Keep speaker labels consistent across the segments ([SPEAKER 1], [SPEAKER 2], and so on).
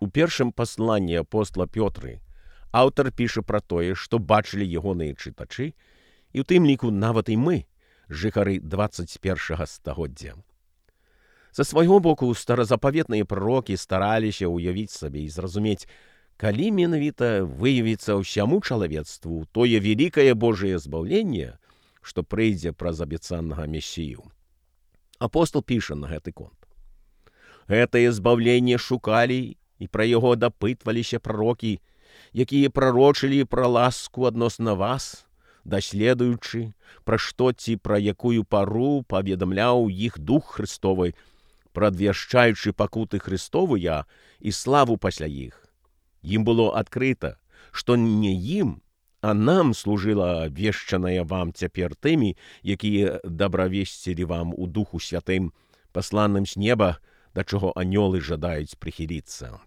[SPEAKER 1] У першым пасланні апостола Пётры аўтар піша пра тое, што бачылі ягоныя чытачы, і ў тым ліку нават і мы, жыхары 21 стагоддзя. Са свайго боку, старазапаветныя прарокі стараліся ўявіць сабе і зразумець, калі менавіта выявіцца ўсяму чалавецтву тое вялікае Божае збаўленне, што прыйдзе праз абяцанага Месію. Апостол піша на гэты конт. Гэтае збаўленне шукалі і пра яго дапытваліся прарокі, якія прарочылі пра ласку адносна вас, даследуючы, пра што ці пра якую пару паведамляў іх Дух Христовы, прадвяшчаючы пакуты Христовыя і славу пасля іх. Ім было адкрыта, што не ім, а нам служыла абвешчаная вам цяпер тымі, якія дабравесцілі вам у Духу Святым, пасланым з неба, да чаго анёлы жадаюць прыхіліцца.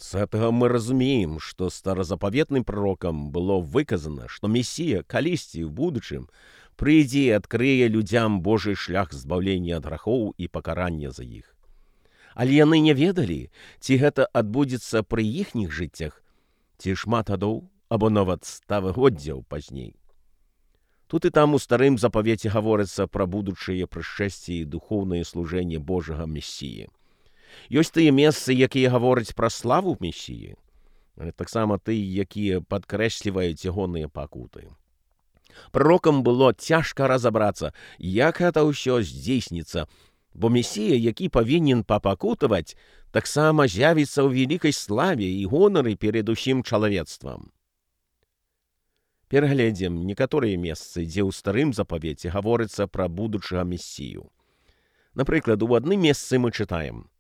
[SPEAKER 1] З гэтага мы разумеем, што старазапаветным пророкам было выказана, што Месія калісьці ў будучым прыйдзе і адкрые людзям Божы шлях збаўлення ад грахоў і пакарання за іх. Але яны не ведалі, ці гэта адбудзецца пры іхніх жыццях, ці шмат гадоў або нават стагоддзяў пазней. Тут і там у старым запавеце гаворыцца пра будучыя прышэсці і духоўнае служэнне Божага Месіі. Ёсць тыя месцы, якія гавораць пра славу Месіі, але таксама тыя, якія падкрэсліваюць ягоныя пакуты. Пророкам было цяжка разабрацца, як гэта ўсё здзейсніцца, бо Месія, які павінен папакутаваць, таксама з'явіцца ў вялікай славе і гонары перад усім чалавецтвам. Перагледзім некаторыя месцы, дзе ў старым запавеце гаворыцца пра будучага Месію. Напрыклад, у адным месцы мы чытаем: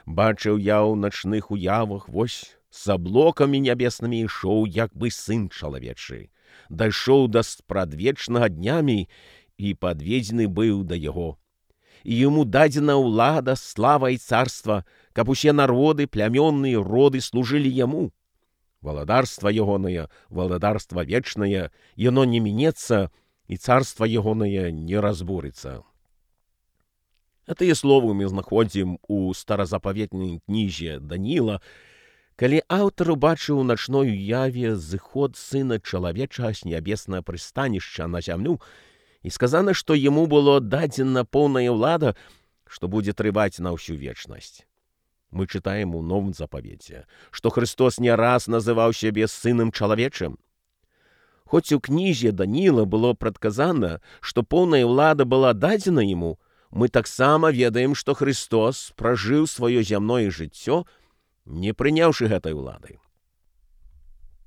[SPEAKER 1] «Бачыў я ў начных уявах, вось, з аблокамі нябеснымі ішоў, як бы сын чалавечы, дайшоў да спрадвечнага днямі і падведзены быў да яго. І яму дадзена ўлада, слава і царства, каб усе народы, плямённыя роды служылі яму. Валадарства ягонае, валадарства вечнае, яно не мінецца, і царства ягонае не разбурыцца». Гэтыя словы мы знаходзім у старазапаветнай кнізе Данііла, калі аўтар убачыў у начной уяве зыход сына чалавечага з нябеснага прыстанішча на зямлю, і сказана, што яму было дадзена поўная ўлада, што будзе трываць на ўсю вечнасць. Мы чытаем у новым запавеце, што Христос не раз называў сябе сынам чалавечым. Хоць у кнізе Данііла было прадказана, што поўная ўлада была дадзена яму, мы таксама ведаем, што Христос пражыў сваё зямное жыццё, не прыняўшы гэтай улады.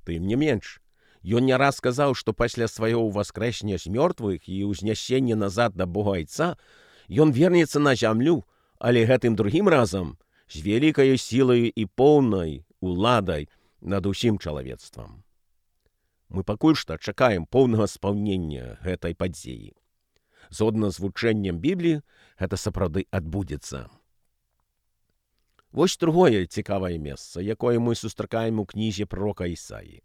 [SPEAKER 1] Тым не менш, ён не раз сказаў, што пасля свайго ўваскрэсення з мёртвых і ўзнясення назад да Бога Айца ён вернецца на зямлю, але гэтым другім разам з вялікай сілай і поўнай уладай над усім чалавецтвам. Мы пакуль што чакаем поўнага спаўнення гэтай падзеі. Згодна з вучэннем Бібліі, гэта сапраўды адбудзецца. Вось другое цікавае месца, якое мы сустракаем у кнізе пророка Ісаі.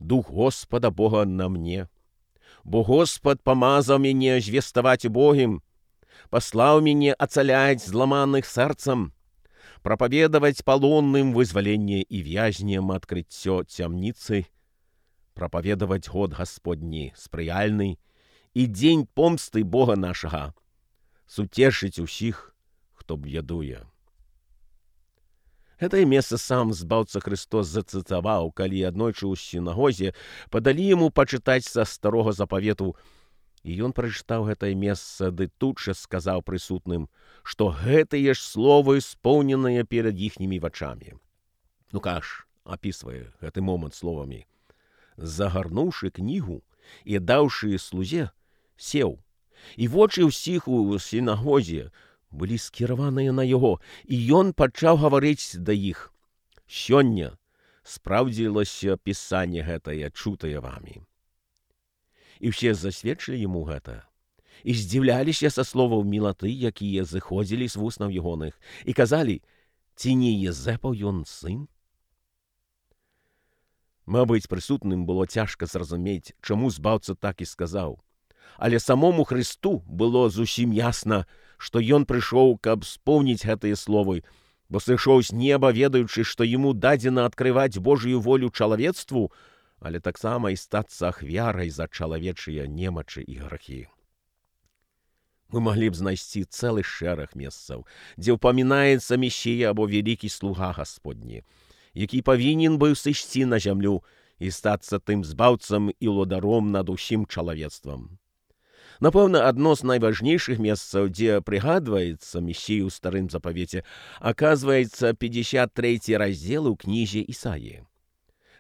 [SPEAKER 1] «Дух Господа Бога на мне, бо Господ памазаў мяне звеставаць убогім, паслаў мяне ацаляць зламаных сэрцам, прапаведаваць палонным вызваленне і вязням адкрыццё цямніцы, прапаведаваць год Гасподні спрыяльны і дзень помсты Бога нашага, суцешыць усіх, хто б'ядуе». Гэтае месца сам збаўца Христос зацытаваў, калі аднойчы ў сінагозе падалі яму пачытаць са старога запавету, і ён прачытаў гэтае месца, ды тут жа сказаў прысутным, што гэтыя ж словы споўненыя перад іхнімі вачамі. Лукаш апісвае гэты момант словамі: «Загарнуўшы кнігу і даўшы слузе, сеў, і вочы ўсіх у сінагозе былі скіраваныя на яго, і ён пачаў гаварыць да іх: «Сёння спраўдзілася пісанне гэтае, чутае вамі». І ўсе засведчылі яму гэта, і здзіўляліся са словаў мілаты, якія зыходзілі з вуснаў ягоных, і казалі: «Ці не Езэпаў ён сын?» Мабыць, прысутным было цяжка зразумець, чаму збаўца так і сказаў. Але самому Христу было зусім ясна, што ён прыйшоў, каб споўніць гэтыя словы, бо сышоў з неба, ведаючы, што яму дадзена адкрываць Божую волю чалавецтву, але таксама і стацца ахвярай за чалавечыя немачы і грахі. Мы маглі б знайсці цэлы шэраг месцаў, дзе ўпамінаецца Месія або вялікі слуга Гасподні, які павінен быў сысці на зямлю і стацца тым збаўцам і лодаром над усім чалавецтвам. Напэўна, адно з найважнейшых месцаў, дзе прыгадваецца Месію ў старым запавеце, аказваецца 53 раздзел у кнізе Ісаіі.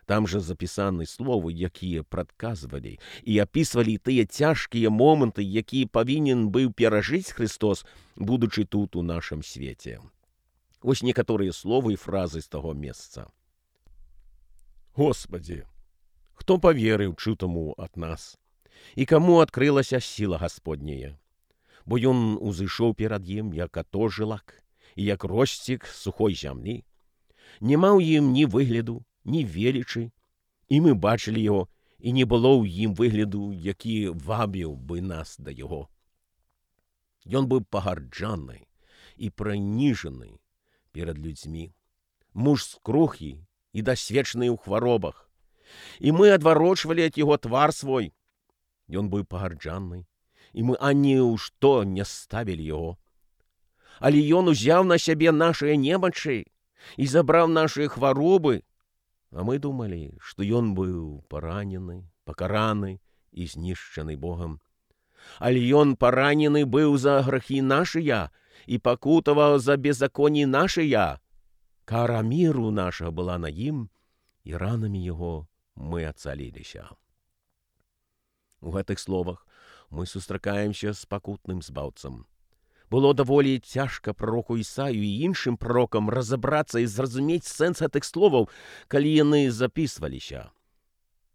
[SPEAKER 1] Там жа запісаны словы, якія прадказвалі і апісвалі тыя цяжкія моманты, якія павінен быў перажыць Христос, будучы тут у нашым свеце. Вось некаторыя словы і фразы з таго месца. Господи, хто паверыў чутаму ад нас? І каму адкрылася сіла Гасподняя? Бо ён узышоў перад ім, як ато жылак, і як росцік сухой зямлі. Нема ў ім ні выгляду, ні велічы, і мы бачылі яго, і не было ў ім выгляду, які вабіў бы нас да яго. Ён быў пагарджаны і праніжаны перад людзьмі, муж скрухі і дасведчаны ў хваробах, і мы адварочвалі ад яго твар свой. Ён быў пагарджаны, і мы ані ў што не ставілі яго. Але ён узяў на сябе нашыя немачы і забраў нашыя хваробы. А мы думалі, што ён быў паранены, пакараны і знішчаны Богам. Але ён паранены быў за грахі нашыя і пакутаваў за беззаконні нашыя. Кара міру наша была на ім, і ранамі яго мы ацаліліся. У гэтых словах мы сустракаемся з пакутным збаўцам. Было даволі цяжка прароку Ісаю і іншым прарокам разабрацца і зразумець сэнс гэтых словаў, калі яны запісваліся.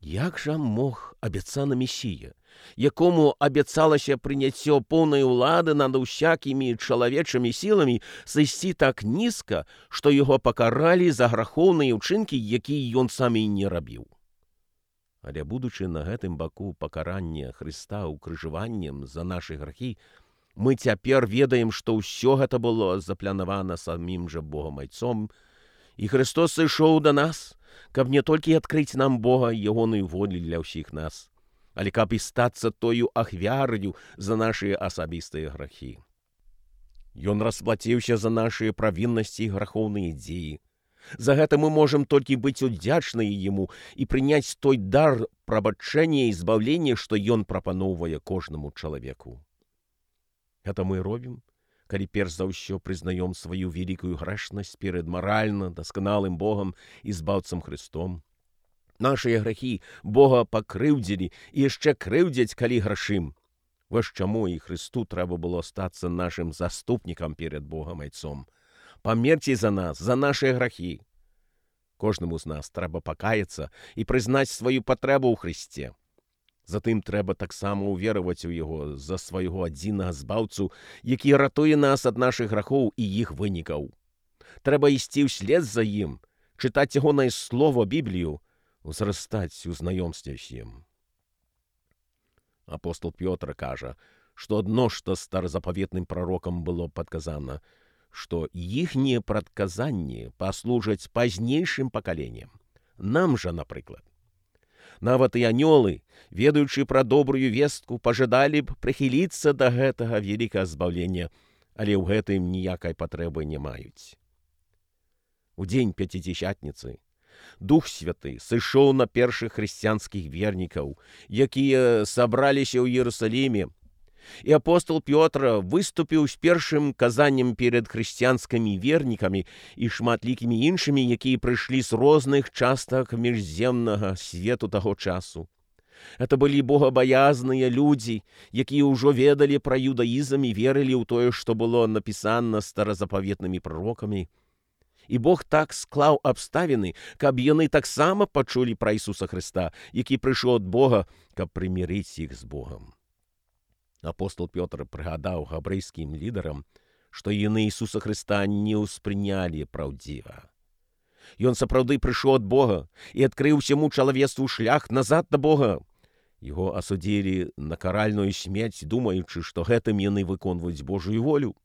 [SPEAKER 1] Як жа мог абяцаны Месія, якому абяцалася прыняццё поўнай улады над усякімі чалавечымі сіламі, сысці так нізка, што яго пакаралі за грахоўныя ўчынкі, якія ён сам і не рабіў? Але будучы на гэтым баку пакарання Хрыста укрыжаваннем за нашы грахі, мы цяпер ведаем, што ўсё гэта было запланавана самім жа Богам Айцом, і Христос сышоў да нас, каб не толькі адкрыць нам Бога ягоную волю для ўсіх нас, але каб і стацца тою ахвяраю за нашыя асабістыя грахі. Ён расплаціўся за нашыя правіннасці і грахоўныя дзеі. За гэта мы можам толькі быць удзячныя Яму і прыняць той дар прабачэння і збаўлення, што Ён прапаноўвае кожнаму чалавеку. Гэта мы робім, калі перш за ўсё прызнаём сваю вялікую грэшнасць перад маральна дасканалым Богам і збаўцам Христом. Нашыя грахі Бога пакрыўдзілі і яшчэ крыўдзяць, калі грашым. Вось чаму і Христу трэба было стацца нашым заступнікам перад Богам Айцом. Памерці за нас, за нашыя грахі. Кожнаму з нас трэба пакаяцца і прызнаць сваю патрэбу ў Христе. Затым трэба таксама ўвераваць у Яго за свайго адзінага збаўцу, які ратуе нас ад нашых грахоў і іх вынікаў. Трэба ісці ўслед за ім, чытаць ягонае слово Біблію, узрастаць у знаёмстве з ім. Апостол Пётр кажа, што адно што старазапаветным прарокам было падказана, што іхнія прадказанні паслужаць пазнейшым пакаленням. Нам жа, напрыклад. Нават і анёлы, ведаючы пра добрую вестку, пажадалі б прыхіліцца да гэтага вялікага збаўлення, але ў гэтым ніякай патрэбы не маюць. У дзень Пяцідзесятніцы Дух Святы сышоў на першых хрысціянскіх вернікаў, якія сабраліся ў Іерусаліме, і апостол Пётр выступіў з першым казаннем перад хрысціянскімі вернікамі і шматлікімі іншымі, якія прыйшлі з розных частак міжземнага свету таго часу. Это былі богабаязныя людзі, якія ўжо ведалі пра юдаізм і верылі ў тое, што было напісана старазапаветнымі прарокамі. І Бог так склаў абставіны, каб яны таксама пачулі пра Ісуса Хрыста, які прыйшоў ад Бога, каб прымірыць іх з Богам. Апостол Пётр прыгадаў габрэйскім лідарам, што яны Ісуса Хрыста не ўспрынялі праўдзіва. Ён сапраўды прыйшоў ад Бога і адкрыў усяму чалавецтву шлях назад да Бога. Яго асудзілі на каральную смерць, думаючы, што гэтым яны выконваюць Божую волю.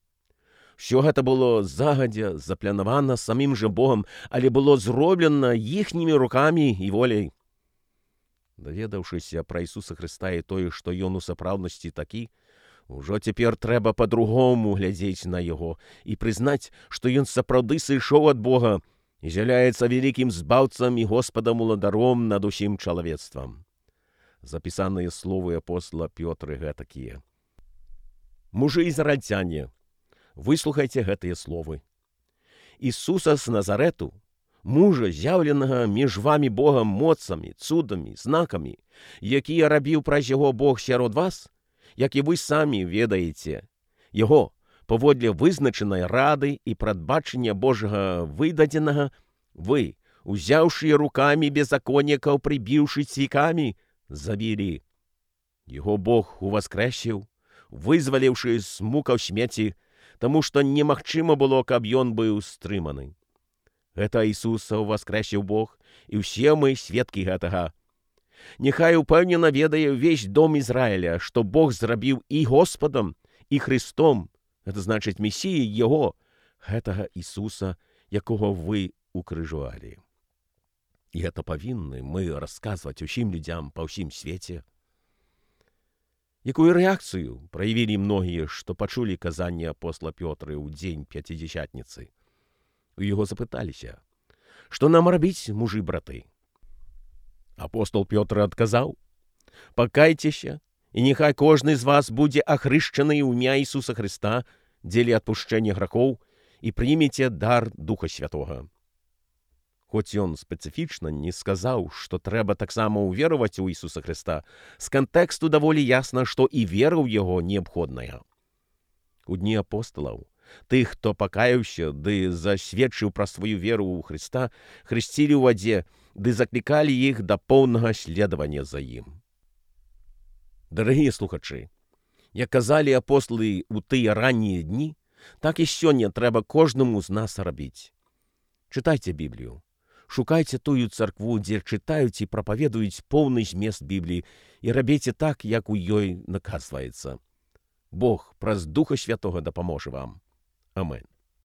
[SPEAKER 1] Все гэта было загадзя запланавана самім жа Богам, але было зроблена іхнімі рукамі і воляй. Даведаўшыся пра Ісуса Хрыста і тое, што Ён у сапраўднасці такі, ужо цяпер трэба па-другому глядзець на Яго і прызнаць, што Ён сапраўды сышоў ад Бога і з'яўляецца вялікім збаўцам і Господам-уладаром над усім чалавецтвам. Запісаныя словы апостола Пётры гэтакія. Мужы ізраільцяне, выслухайце гэтыя словы. Ісуса з Назарэту, мужа, з'яўленага між вамі Богам моцамі, цудамі, знакамі, якія рабіў праз яго Бог сярод вас, як і вы самі ведаеце, яго, паводле вызначанай рады і прадбачання Божага выдадзенага, вы, узяўшы рукамі беззаконнікаў, прыбіўшы цвікамі, забілі. Яго Бог уваскрэсіў, вызваліўшы з мукаў смерці, таму што немагчыма было, каб ён быў стрыманы. Гэта Ісуса ўваскрэсіў Бог, і ўсе мы сведкі гэтага. Няхай упэўнена ведае ўвесь дом Ізраіля, што Бог зрабіў і Господам, і Христом, гэта значыць Месіяй Яго, гэтага Ісуса, якога вы укрыжавалі. І гэта павінны мы расказваць усім людзям па ўсім свеце. Якую рэакцыю праявілі многія, што пачулі казанне апостола Пётры ў дзень Пяцідзясятніцы? У яго запыталіся, што нам рабіць, мужы-браты? Апостол Пётр адказаў, пакайцеся, і няхай кожны з вас будзе ахрышчаны ў імя Ісуса Хрыста дзеля адпушчэння грахоў і прымеце дар Духа Святога. Хоць ён спецыфічна не сказаў, што трэба таксама ўвераваць у Ісуса Хрыста, з кантэксту даволі ясна, што і вера ў яго неабходная. У дні апосталаў тых, хто пакаяўся ды засведчыў пра сваю веру ў Хрыста, хрысцілі ў вадзе ды заклікалі іх да поўнага следавання за ім. Дарагія слухачы, як казалі апосталы ў тыя раннія дні, так і сёння трэба кожнаму з нас рабіць. Чытайце Біблію. Шукайце тую царкву, дзе чытаюць і прапаведуюць поўны змест Бібліі, і рабіце так, як у ёй наказваецца. Бог праз Духа Святога дапаможа вам. Амén.